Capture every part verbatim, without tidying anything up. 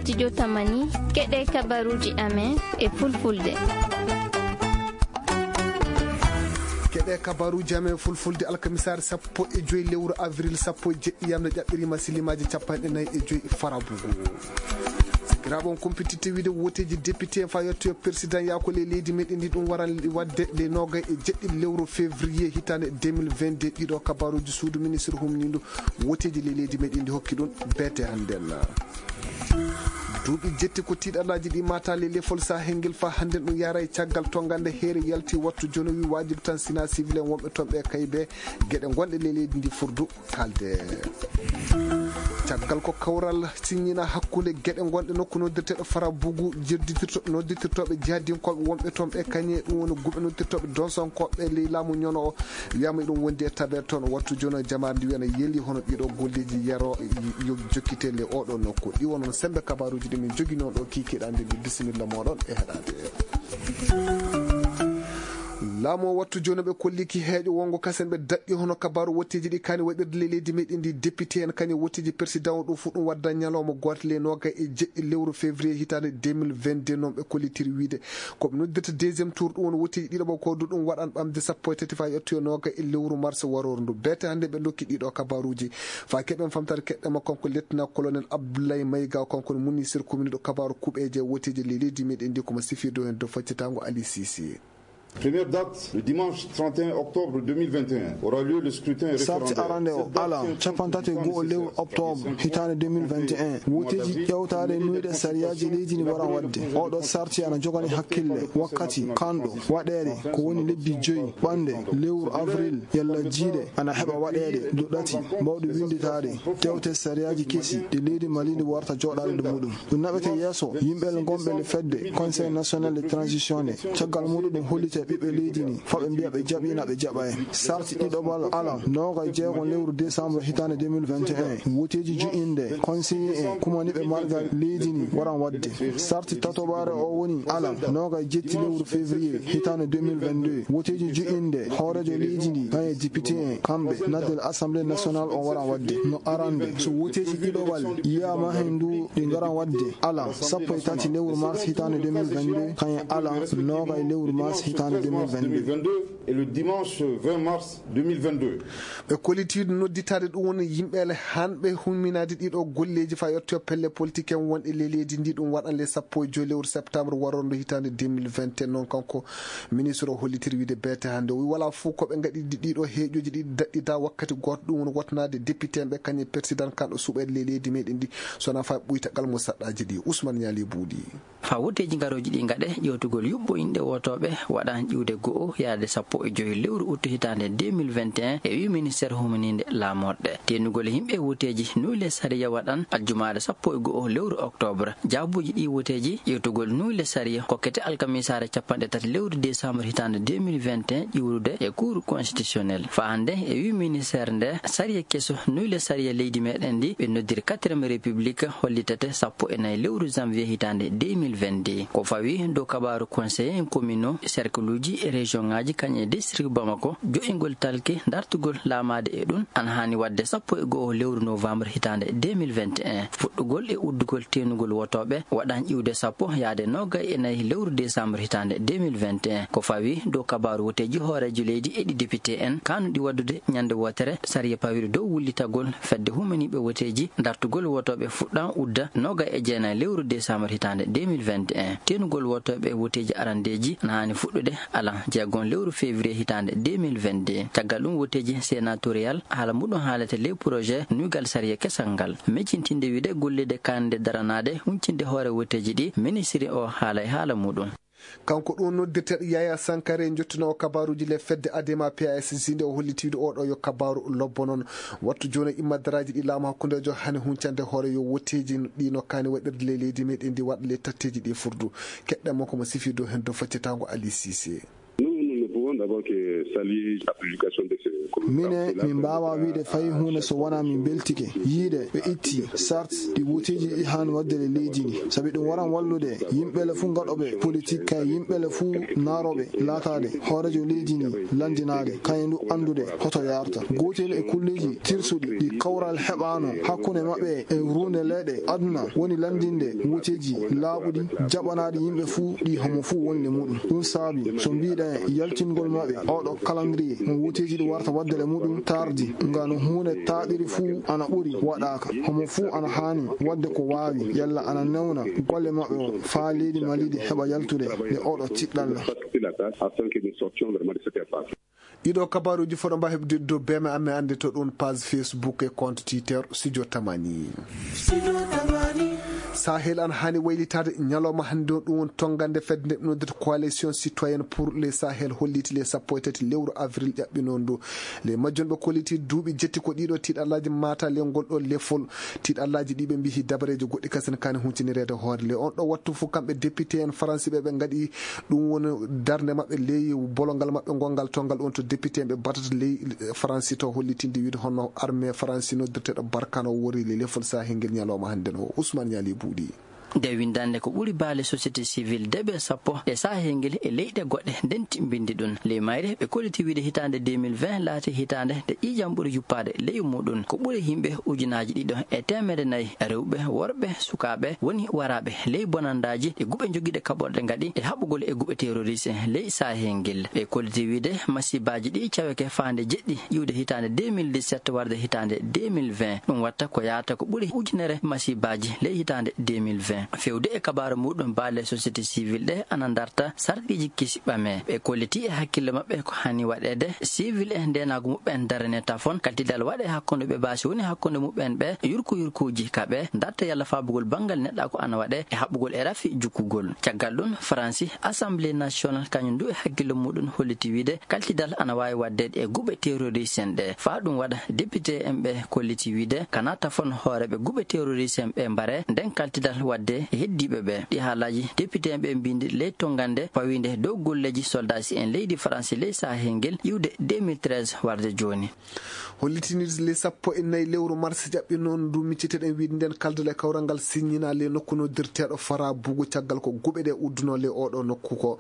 Studio Tamani, keɗe kabaruuji amen e fulfulde. Keɗe kabaruuji amen fulfulde alkamisaare sappo e joyi lewru avril sappo e jeɗɗi yamde ƴaɓɓiriima silimaaji capanɗe nayi e joyi farabugu. Sikiraaɓe on kumpititte wiide woteeji député en fa yettoyo président yaako le leydi meɗen ndi ɗum waran waɗde le noogay e jeɗɗi lewru février hitaande deux mille vingt-deux. Ɗiɗo kabaruuji suudu ministre humnindu woteeji le leydi meɗen ndi hokki ɗum beete hannden. Duuɓi jetti ko tiiɗalaaji ɗi mata le lefol sahel ngel fa hannden ɗum yara e caggal to ngannde heere yalti wattu jono wi wajibi tan sina civil en wonɓe toon ɓe kay be geɗe gonɗe le leydi ndi furdu kalde. Caggal ko kawral siññina hakkunde geɗe gonɗe nokku noddirteɗo farabugu jedditirto nodditirtoɓe jihadinkooɓe wonɓe toon ɓe kañe ɗum woni guɓe noddirtoɓe donsonkooɓe ley laamu ñono o. Wiyama eɗum wondi e tabeere toon wattu jono jamaare ndi wiyana yeeli hono ɗiɗo golleji yero yo jokkite le oɗo nokku ɗi wono sembe kabaruji ɗi min jogino ɗo kikiɗa nde ndi bisimilla moɗon e heɗade. Laamu o wattu jooni ɓe kolliki heeƴo wongo kasen ɓe daɗɗi hono kabaru wotteeji ɗi kani waɗirde le leydi meɗen ndi député en kañum wotteeji président o ɗum fof ɗum wadda ñalawma gooto le noga e jeɗɗi lewru février hitaande deux mille vingt-deux noon ɓe kollitiri wiide koɓe noddirta deuxième tour ɗum woni wotteeji ɗiɗo ɓo ko du ɗum waɗan ɓamde sappo e tati fa yettoyo noga e lewru mars waroru ndu beete hannde ɓe dokki ɗiɗo kabaruuji fa keɓen famtare keɗɗema kanko lieutenant colonel Abdoulaye Maïga kanko ne ministre commune ɗo kabaru kuɓeeje wotteeji le leydi meɗen ndi komo sifirde hen dow faccitango Ali Cissé. Première date, le dimanche trente et un octobre deux mille vingt et un, aura lieu le scrutin référendaire. Sarti arande o ala capantati e go'o lewru octobre hitaande deux mille vingt et un. Woteeji ƴewtaade nuyɗe sariyaaji leydi ndi waran waɗde. Oɗo sarti ana jogani hakkille wakkati kanɗo waɗeede ko woni lebbi joyi ɓannde lewru avril yalla jiiɗe ana heɓa waɗeede dow ɗati mbawɗi winnditaade tewte sariyaaji kesi ɗi leydi Mali ndi warta jooɗaade nder muɗum. Ɗum naɓete yeeso yimɓe ngonɓe le fedde Conseil national de transition nde caggal muɗum ɗum hollita e ɓiɓɓe leydi ndi fa ɓe mbiya ɓe jaɓiina ɓe jaɓaay. Sarti ɗiɗoɓal alan noga e jeego lewru décembre hitaande deux mille vingt et un woteeji jo'inde conseiller en kumaniɓe margal leydi ndi waran waɗde. Sarti tatoɓaare o woni alan noga e jetti lewru février hitaande deux mille vingt-deux woteeji jo'inde hooreejo leydi ndi kañe député en kamɓe naddel assemblée nationale o waran waɗde. No arande so woteeji ɗiɗoɓal yiyama hen ndu ɗi ngaran waɗde alan sappo e tati lewru mars hitaande deux mille vingt-deux kañe alan noga e lewru mars hitaande deux mille vingt-deux. Et le dimanche vingt mars deux mille vingt-deux. Ɓe kollitiiɗo nodditaade ɗum woni yimɓeele hanɓe humminaade ɗiɗo golleeji fa yettoyo pelle politique en wonɗe le leydi ndi ɗum waɗan le sappo e joyi lewru septembre warondo hitaande deux mille vingt et un noon kanko ministre o hollitiri wiide beete hannde o wi wala fof ko ɓe ngaɗi ɗiɗo heeƴoji ɗiɗi daɗɗita wakkati gooto ɗum woni wotanaade député en ɓe kañum président kanɗo suɓeede le leydi meɗen ndi sona fa ɓuytagal mo saɗɗaji ɗi Ousmane Ñaali Buuɗi. Fa woteeji ngarooji ɗi ngaɗe ƴewtugol yuɓɓo inɗe wotooɓe waɗan ƴiwde go'o yaade sappo e joyi lewru uttu hitaande deux mille vingt et un e wi ministère humaninde laamorɗe teenugol yimɓe woteeji nuyle sariya waɗan aljumaare sappo e go'o lewru octobre. Jaabuuji ɗi woteeji ƴewtugol nuyle sariya kokkete alkamisaare capanɗe tati lewru décembre hitaande deux mille vingt et un ƴiwrude e cour constitutionnel fa hannde e wi ministère nde sariya keso nuyle sariya leydi meɗen ndi ɓe noddiri quatrième république hollitete sappo e nayi lewru janvier hitaande deux mille vingt-deux. Ko fawi dow kabaru conseiller en commune o cercle uji e région ngaji kañum e district bamako jo'ingol talke dartugol laamaade e ɗum ana haani waɗde sappo e go'o lewru novembre hitaande deux mille vingt et un fuɗɗugol e uddugol teenugol wotooɓe waɗan ƴiwde sappo yaade noga e nayi lewru décembre hitaande deux mille vingt et un. Ko fawi dow kabaru woteeji hooreejo leydi e ɗi député en kanuɗi waɗdude ñande wootere sariya pawiɗo dow wullitagol fedde humaniiɓe woteeji dartugol wotooɓe fuɗɗan udda noga e jeenayi lewru décembre hitaande deux mille vingt et un. Teenugol wotooɓe woteeji arandeeji na haani fuɗɗude alan jeegon lewru février hitaande deux mille vingt-deux. Caggal ɗum woteeji sénatorial haala muɗum haalete ley projet nuygal sariya kesal ngal miccintinde wiide gollirde kaanide daranaade huncinde hoore woteeji ɗi ministiri o haala e haala muɗum. Kanko ɗum noddirteeɗo Yaya Sankare jottunoowo kabaruuji le fedde Adema P A S J nde o holliti wiide oɗo yo kabaru lobbo noon wattu jooni immadaraaji ɗi laamu hakkundeejo hani huncande hoore yo wotteeji ɗi no kaani waɗirde ley leydi meɗen ndi waɗa le tatteeji ɗi furdu keɗɗen mo komo sifi dow heen dow faccitaango Ali Cissé. Mine, min mbaawaa wiyde fay huunde so wonaa min mbeltike yiide ɓe itti sart ɗi woteeji ɗi haani waɗde e leydi ndi, sabi ɗum waran wallude yimɓe le fuu gaɗooɓe politik, kay yimɓe le fuu naarooɓe laataade hooreejo leydi ndi, lanndinaade kañum du anndude hoto yaarta. Gootel e kulleeji tirsuɗi ɗi kawral heɓaano hakkunde maɓɓe e ruunde leeɗe aduna woni lanndinde woteeji laaɓuɗi, jaɓanaaɗi yimɓe fuu, ɗi homo fuu wonde muɗum. Ɗum saabi so mbiɗen yaltingol maɓɓe oɗo calendrier mo woteeji ɗi warta waɗde e muɗum tardi, nga no huunde taaɗiri fuu ana ɓuri waɗaaka. Homo fuu ana haani waɗde ko waawi, yalla ana newna golle maɓɓe o faa leydi Mali ndi heɓa yaltude e oɗo tiɗɗalla. Ɗiɗo kabaruuji fof ɗo mbaa heɓde dow beeme amen annde to ɗum page Facebook e compte Twitter Studio Tamani. Sahel ana haani waylitaade ñalawma hannde o, ɗum woni tonngande fedde nde ɓe noddata Coalition Citoyenne pour le Sahel holliti le sappo e tati lewru avril ƴaɓɓinoo ndu. Le majjum ɓe kolliti duuɓi jetti ko ɗiɗo tiiɗallaaji maata le ngol ɗo lefol. Tiiɗallaaji ɗi ɓe mbiyi dabareeji goɗɗi kasen kaani huntinireede hoore le. On ɗo wattu fof kamɓe député en faransi ɓe ɓe ngaɗi ɗum woni darnde maɓɓe ley bolongal maɓɓe ngongal tongal on to député en ɓe batata ley faransi to hollitinde wiide hono armée faransi noddirteɗo barkano wori le lefol sahel ngel ñalawma hannde no Ousmane Ñaali Buuɗi. Nde winndannde ko ɓuri baale société civile deɓe sappo e sahel ngel e leyɗe goɗɗe nden timbindi ɗum. Ley mayre ɓe kolliti wiide hitaande deux mille vingt laati hitaande nde ƴiiƴam ɓuri yuppaade ley muɗum. Ko ɓuri yimɓe ujunaaji ɗiɗo e teemedde nayi rewɓe, worɓe, sukaaɓe woni waraaɓe ley bonandaaji ɗi guɓe jogiiɗe kaɓorɗe ngaɗi e haɓugol e guɓe terroriste ley sahel ngel. Ɓe kolliti wiide masibaaji ɗi caweke faande jeɗɗi iwde hitaande deux mille dix-sept warde hitaande deux mille vingt. Ɗum watta ko yaata ko ɓuri ujunere masibaaji ley hitaande deux mille vingt. Fewde e kabaaru muɗum baale société civile ɗe ana darta sarɗiiji kisi ɓame. Ɓe kolliti e hakkille maɓɓe ko hani waɗeede civil e ndeenaagu muɓɓen darane tafon kaltidal waɗe hakkunde ɓe baasi woni hakkunde muɓɓen ɓe yurku yurkuuji kaɓe darta yalla faabugol banngal neɗɗaaku ana waɗe e haɓugol e rafi jukkugol. Caggal ɗum faransi assemblée nationale kañum ndu e hakkille muɗum holliti wiide kaltidal ana waawi waɗdeede e guɓe terroriste en ɗe faa ɗum waɗa député en ɓe kolliti wiide kana tafon hooreeɓe guɓe terroriste en ɓe mbare nden kaltidal waɗde e heddiiɓe ɓe. Ɗi haalaaji député en ɓe mbindi ley tonngande pawiinde dow golleeji soldaasi en leydi faransi ley sahel ngel iwde deux mille treize warde jooni. Hollitini le sappo e nayi lewru mars ƴaɓɓi noon ndu micciteɗen wiide nden kaldal e kawral ngal siññina le nokku noddirteeɗo fara bugu caggal ko guɓe ɗe uddunoo le oɗo nokku ko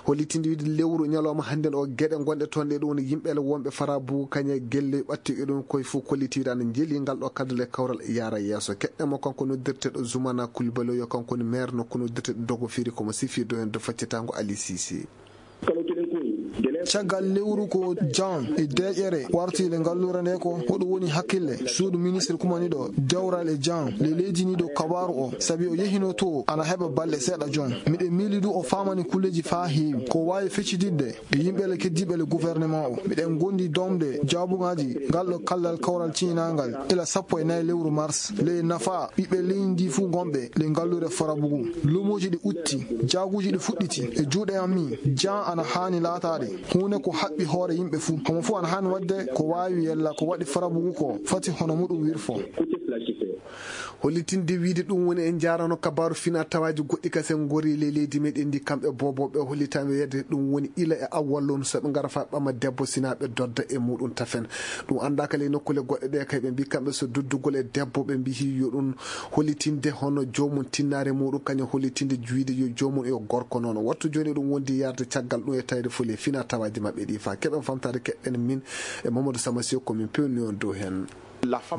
hollitinde wiide lewru ñalawma hannden o geɗe gonɗe toon ɗe ɗum woni yimɓe le wonɓe fara bugu kañe gelle ɓatti e ɗum koye fof kolliti wiide ana njeeli ngal ɗo kaldal e kawral yaara yeeso keɗɗen mo kanko noddirteeɗo Zoumana Coulibaly o yo kanko woni maire nokku noddirteeɗo dogo firi komo sifi do heen do faccitango Ali Cissé. Caggal lewru ko jan e deeƴere warti le ngalluure nde ko hoɗo woni hakkille suudu ministre kumaniɗo dewral e jan le leydi ni ɗo kabaru o sabi o yehino to ana heɓa balɗe seeɗa jon. Miɗen miili du o famani kulleji faa heewi ko waawi feccididde e yimɓe le keddiiɓe le gouvernement o. Miɗen gondi domde jaabugaji ngal ɗo kaldal kawral ciñinangal ila sappo e nayi lewru mars ley nafa ɓiɓɓe leydi ndi fuu gonɓe ley ngalluure farabugu. Lumoji ɗi utti, jaaguji ɗi fuɗɗiti e juuɗe am mi jan ana haani laataade huunde ko haɓɓi hoore yimɓe fuu. Homo fuu ana haani waɗde ko waawi yella ko waɗi farabugu ko fati hono muɗum wirfo. Hollitinde wiide ɗum woni en njaarano kabaaru fina tawaaji goɗɗi kasen ngori ley leydi meɗen ndi kamɓe bobo ɓe hollitama wiyede ɗum woni ila e awwal lonu so ɓe ngara fa ɓama debbo sina ɓe dodda e muɗum tafen. Ɗum anndaka ley nokkule goɗɗe ɗe kay ɓe mbi kamɓe so duddugol e debbo ɓe mbihi yo ɗum hollitinde hono joomum tinnaare muɗum kañum hollitinde wiide yo joomum yo gorko noon wattu jooni ɗum wondi yarde caggal ɗum e tawde fole fina tawaaji maɓɓe ɗi fa keɓen famtade keɗɗen min e Mamadou Sama Sew ko min pewni on dow heen.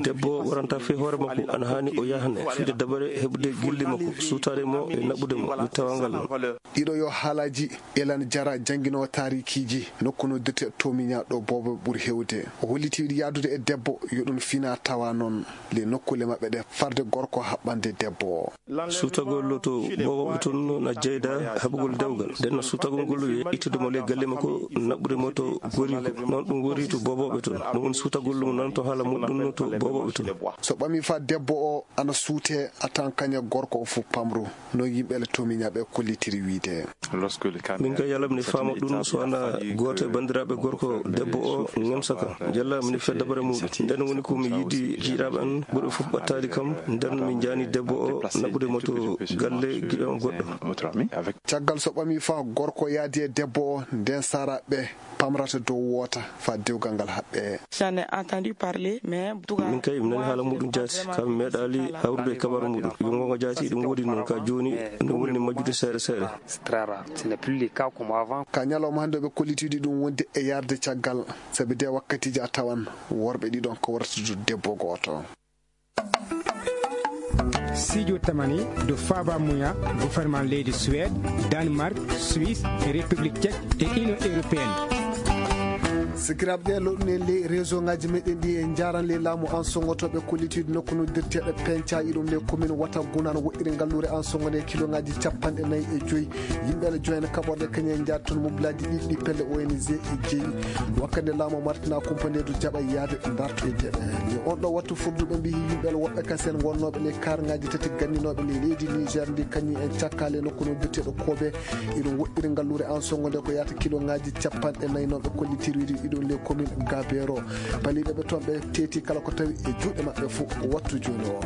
Debbo waranta fii hoore makko ana haani o yahne fiide dabare heɓude gilli makko suutaade mo e naɓude mo wittawangal mo. Ɗiɗo yo haalaaji elan jara jannginowo taarikiiji nokku no dete tomiña ɗo boobo ɓuri heewde o holliti yaadude e debbo yo ɗum fina tawa noon le nokkule maɓɓe ɗe farde gorko haɓɓande debbo o. Suutagol to booboɓe toon na jeyda heɓugol dewgal nden no suutagol ngol yo ittude mo ley galle makko naɓɓude mo to goriiko noon ɗum wori to booboɓe toon ɗum woni suutagol ɗum nan to haala muɗum. To boobo to. So ɓami fa debbo o ana suute, a tan kaña gorko o fof pamru. No yimɓe le tomiñaɓe kollitiri wiide. Min kay yalla mine faama ɗum, so wona gooto e banndiraaɓe gorko debbo o ŋemsa kam, yalla mine fiya dabare muɗum. Nden woni ko mi yiɗi jiiɗaaɓe an ɓurɓe fof ɓattaade kam, nden min jaani debbo o naɓude mo to galle giɗo am goɗɗo. Caggal so ɓami fa gorko yaadi e debbo o, nden saraɓe pamrata dow woota fa dewgal ngal haɓɓe. J'en ai entendu parler, mais en tout cas, min kay mi nani haala muɗum jaati, ka mi meeɗaali hawrude e kabaru muɗum. Yo ngonga jaati, ɗum woodi noon ka jooni, ɗum woni majjude seeɗa seeɗa. C'est très rare. Ce n'est plus le cas comme avant. Ka ñalawma hannde ɓe kollitiiɗi ɗum wonde e yarde caggal, sabi de wakkatiiji a tawan worɓe ɗiɗon ko wartude debbo gooto. Sijo tamani do faba muya gouvernement leydi Suède, Danemark, Suisse, République Tchèque et Union Européenne. Sikiraaɓe, ɗe loɗɗuno en ley réseau ngaji meɗen ɗi, en njaran ley laamu an songotoɓe kollitiiɗo nokku noddirteeɗo Penca, iɗum ley commune Wata Gunan, woɗɗiri ngalluure an songonde kilongaji capanɗe nayi e joyi. Yimɓe ene joyna kaɓorɗe kañum en njaati toon mobilaaji ɗiɗi pelle O N G e jeeɗiɗi. Wakkande laamu Martina Kumpa nde du jaɓa yaade ndarto e jeɗɗe. Yo on ɗo wattu furduɓe mbiyi yimɓe woɓɓe kasen wonnooɓe ley karngaaji tati ganndinooɓe ley leydi Niger ndi kañum en cakkaali e nokku no biyeteeɗo Kobe. Iɗum woɗɗiri ngalluure an songo nde ko yaata kilongaaji capanɗe nayi noon ɓe kollitiri iɗum ley commune Gabero. Baliiɓe ɓe toon ɓe teeti kala ko tawi e juuɗe maɓɓe fof wattu jooni o.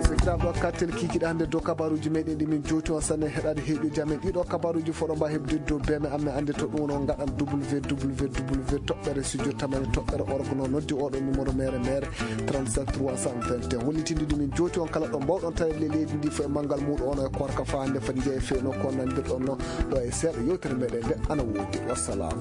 Sakiraaɓe o, kartel kiikiiɗe hannde dow kabaruuji meɗen ɗi min jooti on sanne heɗaade heeƴuji amen. Ɗiɗo kabaruuji foɗo mba heɓde dow beme amen annde to ɗum woni on ngaɗan W W W toɓɓere studio tamani toɓɓere orgono noddi oɗo numéro mere mere trente-sept trois cent vingt et un. Wonnitinɗi ɗum min jooti on kala ɗo mbawɗon tawede le leydi ndi fof e manngal muɗum ono e korka fa hannde foti jeeya fewno ko nandirɗon no ɗo e seeɗa yewtere meɗen nde ana woodi. Wassalam.